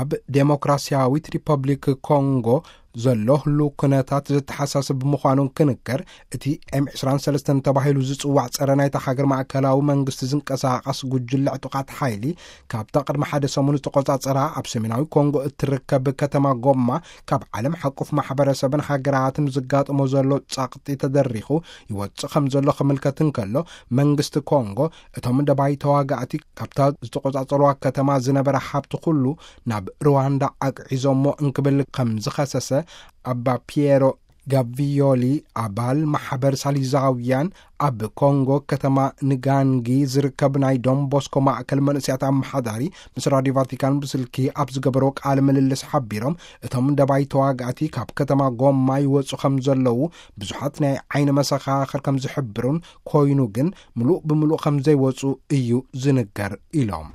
ኣብ ዴሞክራሲያዊት ሪፐብሊክ ኮንጎ ዘሎ ህሉ ኩነታት ዘተሓሳስብ ምዃኑን ክንከር፣ እቲ ኤም ዕስራን ሰለስተን ተባሂሉ ዝጽዋዕ ጸረ ናይታ ሃገር ማእከላዊ መንግስቲ ዝንቀሳቐስ ጉጅለ ዕጡቓት ሓይሊ፣ ካብታ ቅድሚ ሓደ ሰሙን ዝተቖጻጸራ ኣብ ሰሜናዊ ኮንጎ እትርከብ ከተማ ጎማ፣ ካብ ዓለም ሓቁፍ ማሕበረሰብን ሃገራትን ዝጋጥሞ ዘሎ ጸቕጢ ተደሪኹ ይወጽእ ከም ዘሎ ክምልከት እንከሎ፣ መንግስቲ ኮንጎ እቶም ደባይ ተዋጋእቲ ካብታ ዝተቖጻጸርዋ ከተማ ዝነበረ ሃብቲ ኩሉ ናብ ሩዋንዳ ኣግዒዞሞ እንክብል ከም ዝኸሰሰ ኣባ ፒየሮ ጋቪዮሊ፣ ኣባል ማሕበር ሳሊዛውያን ኣብ ኮንጎ ከተማ ንጋንጊ ዝርከብ ናይ ዶን ቦስኮ ማእከል መንእሰያት ኣመሓዳሪ ምስ ራዲዮ ቫቲካን ብስልኪ ኣብ ዝገበሮ ቃለ ምልልስ ሓቢሮም፣ እቶም ደባይ ተዋጋእቲ ካብ ከተማ ጎማ ይወጹ ከም ዘለዉ ብዙሓት ናይ ዓይኒ መሰኻኽር ከም ዝሕብሩን፣ ኮይኑ ግን ምሉእ ብምሉእ ከም ዘይወጹ እዩ ዝንገር ኢሎም።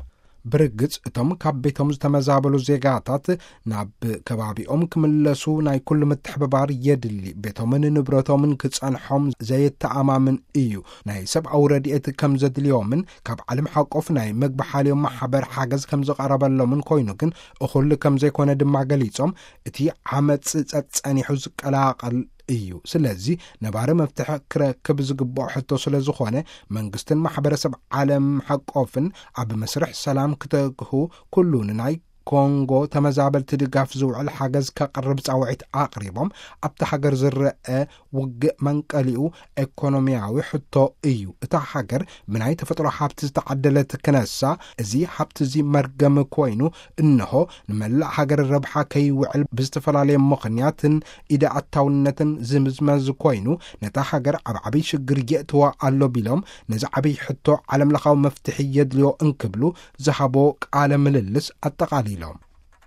ብርግጽ እቶም ካብ ቤቶም ዝተመዛበሉ ዜጋታት ናብ ከባቢኦም ክምለሱ ናይ ኩሉ ምትሕብባር የድሊ። ቤቶምን ንብረቶምን ክጸንሖም ዘየተኣማምን እዩ። ናይ ሰብኣዊ ረድኤት ከም ዘድልዮምን ካብ ዓለም ሓቆፍ ናይ መግቢ ሓልዮም ማሕበር ሓገዝ ከም ዝቐረበሎምን ኮይኑ ግን እኹል ከም ዘይኮነ ድማ ገሊጾም፣ እቲ ዓመጽ ጸጸኒሑ ዝቀላቐል እዩ። ስለዚ ነባሪ መፍትሒ ክረክብ ዝግብኦ ሕቶ ስለ ዝኾነ መንግስትን ማሕበረሰብ ዓለም ሓቆፍን ኣብ መስርሕ ሰላም ክተግሁ፣ ኩሉ ንናይ ኮንጎ ተመዛበልቲ ድጋፍ ዝውዕል ሓገዝ ከቕርብ ጻውዒት ኣቕሪቦም፣ ኣብቲ ሃገር ዝረአ ውግእ መንቀሊኡ ኤኮኖሚያዊ ሕቶ እዩ። እታ ሃገር ብናይ ተፈጥሮ ሃብቲ ዝተዓደለት ክነሳ፣ እዚ ሃብቲ እዚ መርገም ኮይኑ፣ እንሆ ንመላእ ሃገር ረብሓ ከይውዕል ብዝተፈላለየ ምኽንያትን ኢደ ኣታውነትን ዝምዝመዝ ኮይኑ፣ ነታ ሃገር ኣብ ዓብይ ሽግር የእትዋ ኣሎ ቢሎም፣ ነዚ ዓብይ ሕቶ ዓለምለኻዊ መፍትሒ የድልዮ እንክብሉ ዝሃቦ ቃለ ምልልስ ኣጠቓሊሎም።